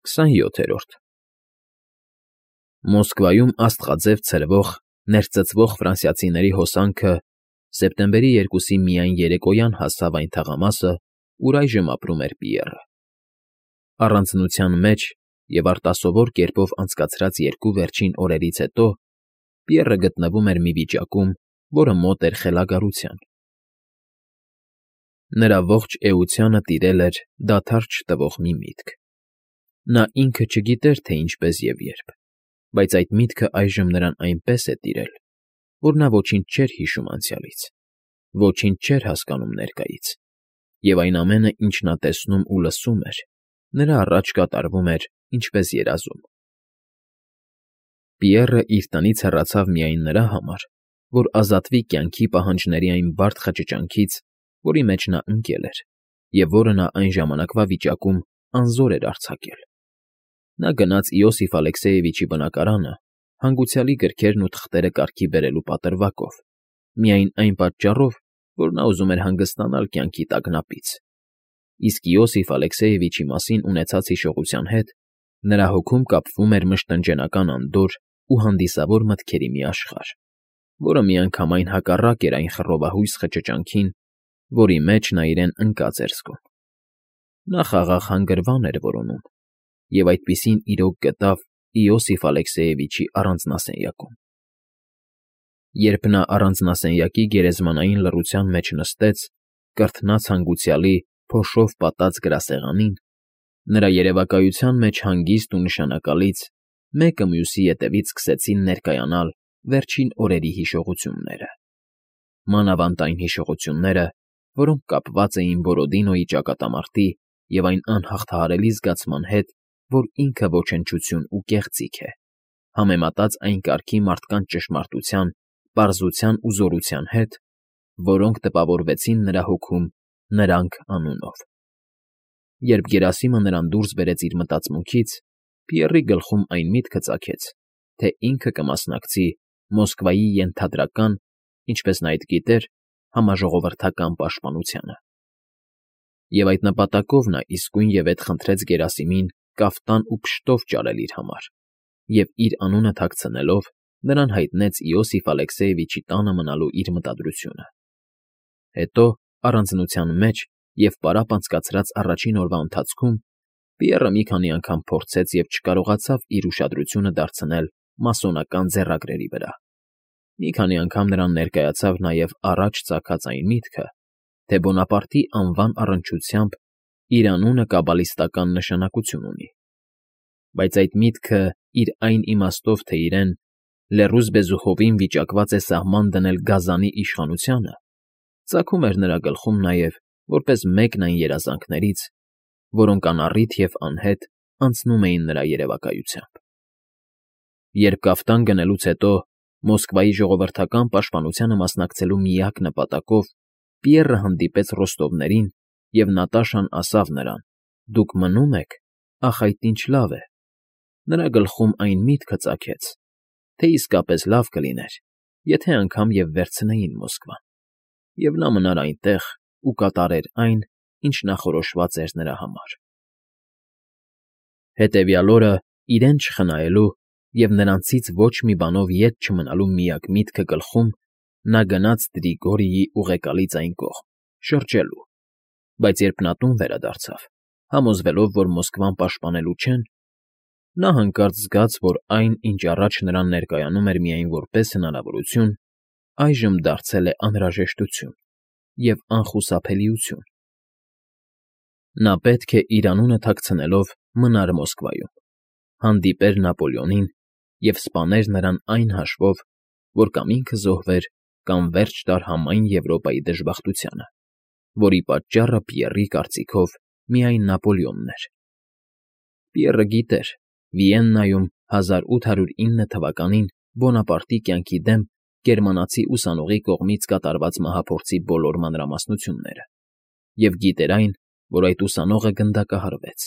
27-րդ Մոսկվայում աստղաձև ցրվող, ներծծվող ֆրանսիացիների հոսանքը սեպտեմբերի 2-ի միայն երեկոյան հասավ այն թաղամասը, ուր այժմ ապրում էր Պիեռը։ Առանձնության մեջ և արտասովոր կերպով անցկացրած երկու վերջին օրերից հետո Պիեռը գտնվում էր մի վիճակում, որը մոտ էր խելագարության։ Նրա ողջ էությանը տիրել էր դադար չտվող մի միտք։ Նա ինքը չգիտեր, թե ինչպես և երբ, բայց այդ միտքը այժմ նրան այնպես է տիրել, որ նա ոչինչ չէր հիշում անցյալից, ոչինչ չէր հասկանում ներկայից, և այն ամենը, ինչ նա տեսնում ու լսում էր, նրա առաջ կատարվում էր ինչպես երազում։ Պիեռը իր տնից հեռացավ միայն նրա համար, որ ազատվի կյանքի պահանջների այն բարդ խճճանքից, որի մեջ նա ընկել էր, և որը նա այն ժամանակվա վիճակում անզոր էր արձակել։ Նա գնաց Իոսիֆ Ալեքսեևիչի բնակարանը, հանգուցյալի գրքերն ու թղթերը կարգի բերելու պատրվակով, միայն այն պատճառով, որ նա ուզում էր հանգստանալ կյանքի տագնապից, իսկ Իոսիֆ Ալեքսեևիչի մասին ունեցած հիշողության հետ նրա հոգում կապվում էր մշտնջենական անդորր ու հանդիսավոր մտքերի մի աշխարհ, որը միանգամայն հակառակ էր այն խռովահույս խճճանքին, որի մեջ նա իրեն ընկած էր զգում։ Նա խաղաղ հանգրվան էր որոնում, և այդպիսին իրոք գտավ Իոսիֆ Ալեքսեևիչի առանձնասենյակում։ Երբ նա առանձնասենյակի գերեզմանային լռության մեջ նստեց, կրթնած հանգուցյալի փոշով պատած գրասեղանին, նրա երևակայության մեջ հանգիստ ու նշանակալից մեկը մյուսի ետևից սկսեցին ներկայանալ վերջին օրերի հիշողությունները, մանավանդ այն հիշողությունները, որոնք կապված էին Բորոդինոյի ճակատամարտի և այն անհաղթահարելի զգացման հետ, որ ինքը ոչնչություն ու կեղծիք է, համեմատած այն կարգի մարդկանց ճշմարտության, պարզության ու զորության հետ, որոնք տպավորվեցին նրա հոգում «նրանք» անունով։ Երբ Գերասիմը նրան դուրս բերեց իր մտածմունքից, Պիեռի գլխում այն միտքը ծագեց, թե ինքը կմասնակցի Մոսկվայի ենթադրական, ինչպես նա այդ գիտեր, համաժողովրդական պաշտպանությանը։ Եվ այդ նպատակով նա իսկույնևեթ խնդրեց Գերասիմին կաֆտան ու փշտով ճարել իր համար, և իր անունը թաքցնելով նրան հայտնեց Իոսիֆ Ալեքսեևիչի տանը մնալու իր մտադրությունը։ Հետո, առանձնության մեջ և պարապ անցկացրած առաջին օրվա ընթացքում Պիեռը մի քանի անգամ փորձեց և չկարողացավ իր ուշադրությունը դարձնել մասոնական ձեռագրերի վրա։ Մի քանի անգամ նրան ներկայացավ նաև առաջ ծագած այն միտքը, թե Բոնապարտի անվան առնչությամբ իր անունը կաբալիստական նշանակություն ունի։ Բայց այդ միտքը իր այն իմաստով, թե իրեն լեռուզ Բեզուխովին վիճակված է սահման դնել գազանի իշխանությանը, ծագում էր նրա գլխում նաև որպես մեկն այն երազանքներից, որոնք անառիթ և անհետ անցնում էին նրա երևակայությամբ։ Երբ կաֆտան գնելուց հետո Մոսկվայի ժողովրդական պաշտպանությանը մասնակցելու միակ նպատակով Պիեռը հանդիպեց Ռոստովներին, և Նատաշան ասավ նրան. «Դուք մնում եք, ախ, այդ ինչ լավ է»։ Նրա գլխում այն միտքը ծագեց, թե իսկապես լավ կլիներ, եթե անգամ և վերցնեին Մոսկվան, և նա մնար այնտեղ ու կատարեր այն, ինչ նախորոշված էր նրա համար։ Հետևյալ օրը, իրեն չխնայելու և նրանցից ոչ մի բանով ետ չմնալու միակ միտքը գլխում, նա գնաց Տրիգորիի ուղեկալից այն կողմ, շրջելու, բայց երբ նա տուն վերադարձավ, համոզվելով, որ Մոսկվան պաշտպանելու չեն, նա հանկարծ զգաց, որ այն, ինչ առաջ նրան ներկայանում էր միայն որպես հնարավորություն, այժմ դարձել է անհրաժեշտություն և անխուսափելիություն։ Նա պետք է իր անունը թաքցնելով մնար Մոսկվայում, հանդիպեր Նապոլեոնին և սպաներ նրան այն հաշվով, որ կամ ինքը զոհվեր, կամ վերջ տար համայն Եվրոպայի դժբախտությանը, որի պատճառը Պիեռի կարծիքով միայն Նապոլեոնն էր։ Պիեռը գիտեր Վիեննայում 1809 թվականին Բոնապարտի կյանքի դեմ գերմանացի ուսանողի կողմից կատարված մահափորձի բոլոր մանրամասնությունները, և գիտեր այն, որ այդ ուսանողը գնդակահարվեց,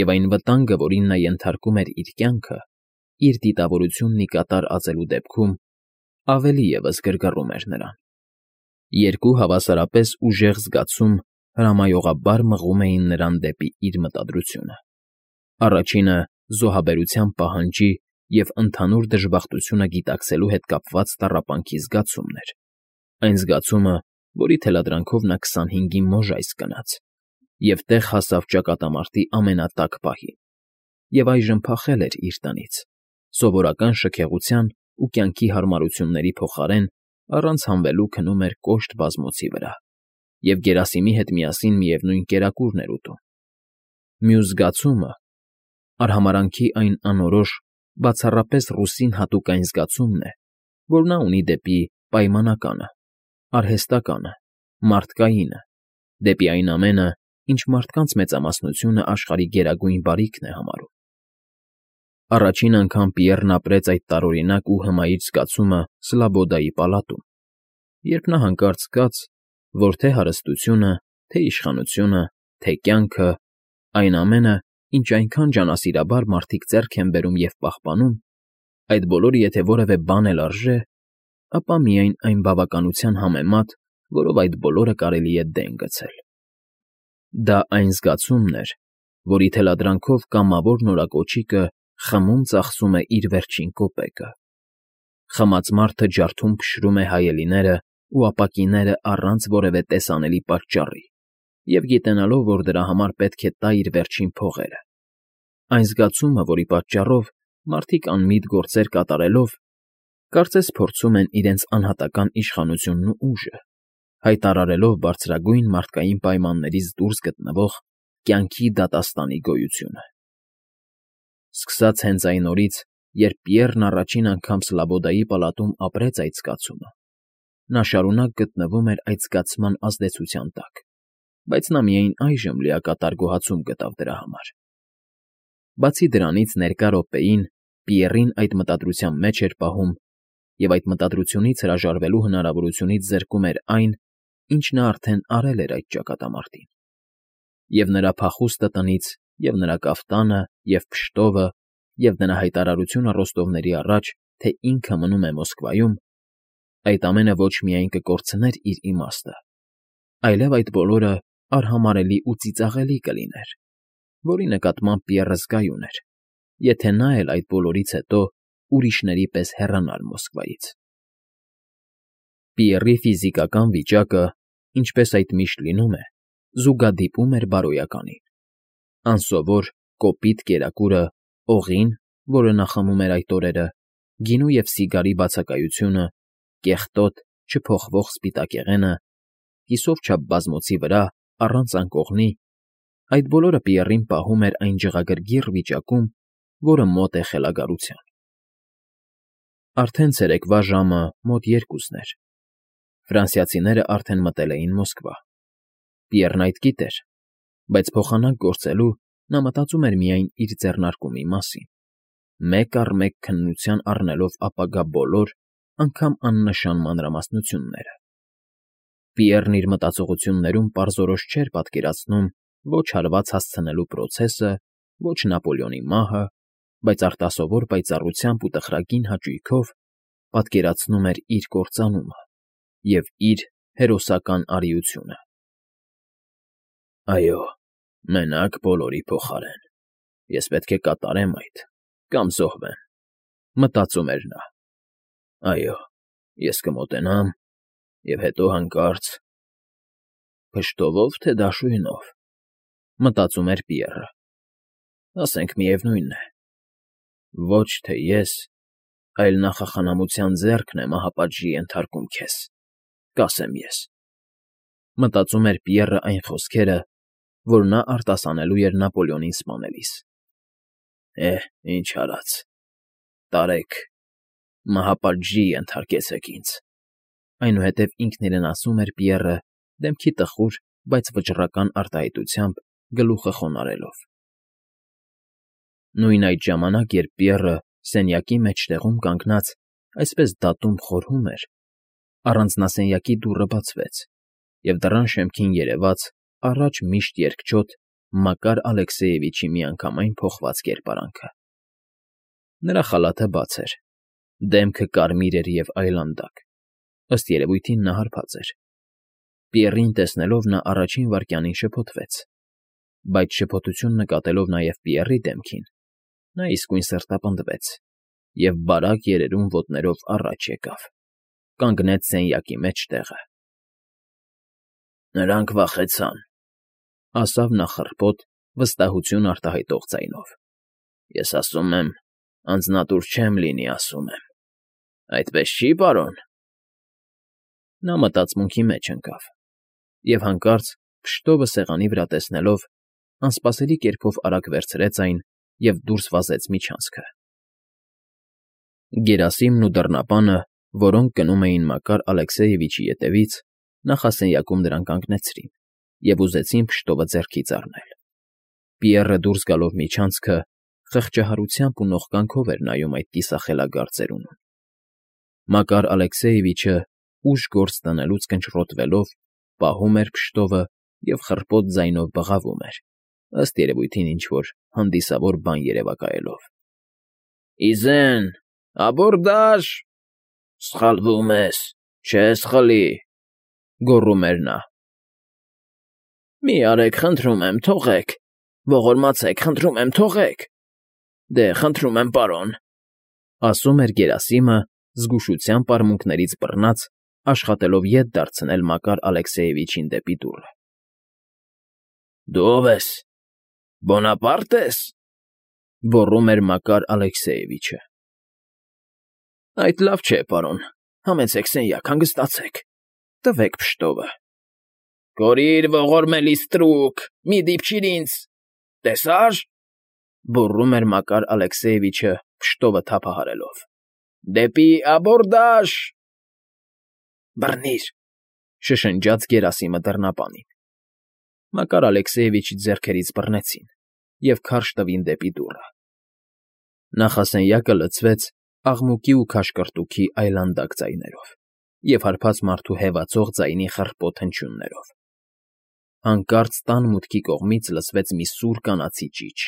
և այն վտանգը, որին նա ենթարկում էր իր կյանքը, իր դիտավորությունն ի կատար ածելու դեպքում ավելի ևս գրգռում էր նրան։ Երկու հավասարապես ուժեղ զգացում հրամայողաբար մղում էին նրան դեպի իր մտադրությունը։ Առաջինը զոհաբերության պահանջի և ընդհանուր դժբախտությունը գիտակցելու հետ կապված տառապանքի զգացումն էր, այն զգացումը, որի թելադրանքով նա 25-ի մոժայս կնաց և տեղ հասավ ճակատամարտի ամենատաք պահին, և այժմ փախել էր իր տնից, սովորական շքեղության ու կյանքի հարմարությունների փոխարեն առանց հանվելու քնում էր կոշտ բազմոցի վրա և Գերասիմի հետ միասին միևնույն կերակուրն էր ուտում։ Մյուս զգացումը, արհամարհանքի այն անորոշ, բացառապես ռուսին հատուկ այն զգացումն է, որ նա ունի դեպի պայմանականը, արհեստականը, մարդկայինը, դեպի այն ամենը, ինչ մարդկանց մեծամասնությունը աշխարհի գերագույն բարիքն է համարում։ Առաջին անգամ Պիեռն ապրեց այդ տարօրինակ ու հմայիչ զգացումը Սլաբոդայի պալատում, երբ նա հանկարծ զգաց, որ թե հարստությունը, թե իշխանությունը, թե կյանքը, այն ամենը, ինչ այնքան ջանասիրաբար մարդիկ ձեռք են բերում և պահպանում, այդ բոլորը եթե որևէ բան էլ արժե, ապա միայն այն բավականության համեմատ, որով այդ բոլորը կարելի է դեն գցել։ Դա այն զգացումն էր, որի թելադրանքով կամավոր նորակոչիկը խմում ծախսում է իր վերջին կոպեկը։ Խմած մարդը ջարդում փշրում է հայելիները ու ապակիները առանց որևէ տեսանելի պատճառի և գիտենալով, որ դրա համար պետք է տա իր վերջին փողերը։ Այն զգացումը, որի պատճառով մարդիկ անմիտ գործեր կատարելով, կարծես փորձում են իրենց անհատական իշխանությունն ու ուժը, հայտարարելով բարձրագույն մարդկային պայմաններից դուրս գտնվող կյանքի դատաստանի գոյությունը։ Սկսած հենց այն օրից, երբ Պիեռն առաջին անգամ Սլաբոդայի պալատում ապրեց այդ զգացումը, նա շարունակ գտնվում էր այդ զգացման ազդեցության տակ, բայց նա միայն այժմ լիակատար գոհացում գտավ դրա համար։ Բացի դրանից ներկա րոպեին Պիեռին այդ մտադրության մեջ էր պահում և այդ մտադրությունից հրաժարվելու հնարավորությունից զրկում էր այն, ինչ նա արդեն արել էր այդ ճակատամարտին։ Եվ նրա փախուստը տնից, և նրա կաֆտանը, և փշտովը, և նրա հայտարարությունը ռոստովների առաջ, թե ինքը մնում է Մոսկվայում, այդ ամենը ոչ միայն կկորցներ իր իմաստը, այլև այդ բոլորը արհամարհելի ու ծիծաղելի կլիներ, որի նկատմամբ Պիեռը զգայուն էր, եթե նա էլ այդ բոլորից հետո ուրիշների պես հեռանար Մոսկվայից։ Պիեռի ֆիզիկական վիճակը, ինչպես այդ միշտ լինում է, զուգադիպում էր բարոյականին։ Անսովոր, կոպիտ կերակուրը, օղին, որը նա խմում էր այդ օրերը, գինու և սիգարի բացակայությունը, կեղտոտ, չփոխվող սպիտակեղենը, կիսով չափ բազմոցի վրա, առանց անկողնի, այդ բոլորը Պիեռին պահում էր այն ջղագրգիռ վիճակում, որը մոտ է խելագարության։ Արդեն ցերեկվա ժամը մոտ 2-ն էր։ Ֆրանսիացիները արդեն մտել էին Մոսկվա։ Պիեռն այդ գիտեր, բայց փոխանակ գործելու նա մտածում էր միայն իր ձեռնարկումի մասին, մեկ առ մեկ քննության առնելով ապագա բոլոր, անգամ աննշան մանրամասնությունները։ Պիեռն իր մտածողություններում պարզորոշ չէր պատկերացնում ոչ հարված հասցնելու պրոցեսը, ոչ Նապոլեոնի մահը, բայց արտասովոր պայծառությամբ ու տխրագին հաճույքով պատկերացնում էր իր կործանումը և իր հերոսական արիությունը։ «Այո, մենակ բոլորի փոխարեն, ես պետք է կատարեմ այդ կամ զոհվեմ», մտածում էր նա։ «Այո, ես կմոտենամ և հետո հանկարծ… Փշտովո՞վ, թե դաշույնով», մտածում էր Պիեռը։ «Ասենք միևնույն է. ոչ թե ես, այլ նախախնամության ձեռքն է մահապատժի ենթարկում քեզ, կասեմ ես», մտածում էր Պիեռը այն խոսքերը, որ նա արտասանելու էր Նապոլեոնին սպանելիս։ Ինչ արած, տարեք, մահապատժի ենթարկեցեք ինձ, այնուհետև ինքն իրեն ասում էր Պիեռը դեմքի տխուր, բայց վճռական արտահայտությամբ գլուխը խոնարհելով։ Նույն այդ ժամանակ, երբ Պիեռը սենյակի մեջտեղում կանգնած այսպես դատում խորհում էր, առանձնասենյակի դուռը բացվեց, և դռան շեմքին երևաց առաջ միշտ երկչոտ Մակար Ալեքսեևիչի միանգամայն փոխված կերպարանքը։ Նրա խալաթը բաց էր, դեմքը կարմիր էր և այլանդակ, ըստ երևույթին նա հարբած էր։ Պիեռին տեսնելով նա առաջին վայրկյանին շփոթվեց, բայց շփոթություն նկատելով նաև Պիեռի դեմքին, նա իսկույն սրտապնդվեց և բարակ երերուն ոտներով առաջ եկավ, կանգնեց սենյակի մեջտեղը։ ֊ Նրանք վախեցան,֊ ասավ նա խռպոտ, վստահություն արտահայտող ձայնով։ ֊ Ես ասում եմ, անձնատուր չեմ լինի, ասում եմ։ Այդպես չի, պարոն… Նա մտածմունքի մեջ ընկավ և հանկարծ, փշտովը սեղանի վրա տեսնելով, անսպասելի կերպով արագ վերցրեց այն և դուրս վազեց միջանցքը։ Գերասիմն ու դռնապանը, որոնք գնում էին Մակար Ալեքսեևիչի ետևից, նախասենյակում նրան կանգնեցրին և ուզեցին փշտովը ձեռքից առնել։ Պիեռը դուրս գալով միջանցքը խղճահարությամբ ու նողկանքով էր նայում այդ կիսախելագար ծերունուն։ Մակար Ալեքսեևիչը, ուժ գործ դնելուց կնճռոտվելով, պահում էր փշտովը և խռպոտ ձայնով բղավում էր, ըստ երևույթին ինչ֊որ հանդիսավոր բան երևակայելով։ ֊ Իզեն, աբորդաժ… Սխալվում ես, չես խլի…֊ գոռում էր նա։ ֊ Մի արեք, խնդրում եմ, թողեք… Ողորմացեք, խնդրում եմ, թողեք… Դե, խնդրում եմ, պարոն,֊ ասում էր գերասիմը, զգուշությամբ արմունկներից բռնած, աշխատելով ետ դարձնել Մակար Ալեքսեևիչին դեպի դուռը։ ֊ Դու ո՞վ ես… Բոնապարտ ես…֊ գոռում էր Մակար Ալեքսեևիչը։ ֊ Այդ լավ չէ, պարոն, համեցեք սենյակ, հանգստացեք, տվեք փշտովը… ֊ Կորիր, ողորմելի ստրուկ, մի դիպչիր ինձ… Տեսա՞ր,֊ գոռում էր Մակար Ալեքսեևիչը, փշտովը թափահարելով։֊ Դեպի աբորդաժ… Բռնի՛ր,֊ շշնջաց գերասիմը դռնապանին։ Մակար Ալեքսեևիչի ձեռքերից բռնեցին և քարշ տվին դեպի դուռը։ Նախասենյակը լցվեց աղմուկի ու քաշքրտուքի այլանդակ ձայներով և հարբած մարդու հեվացող ձայնի խռպոտ հնչյուններով։ Հանկարծ տան մուտքի կողմից լսվեց մի սուր կանացի ճիչ,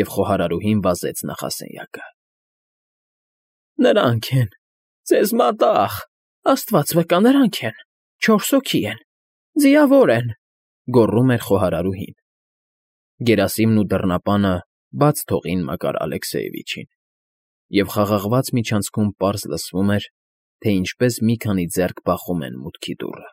և խոհարարուհին վազեց նախասենյակը։ ֊ Նրանք են… Ձեզ մատաղ… Աստված վկա, նրանք են… 4 հոգի են… Ձիավոր են…֊ գոռում էր խոհարարուհին։ Գերասիմն ու դռնապանը բաց թողին Մակար Ալեքսեևիչին, և խաղաղված միջանցքում պարզ լսվում էր, թե ինչպես մի քանի ձեռք բախում են մուտքի դուռը։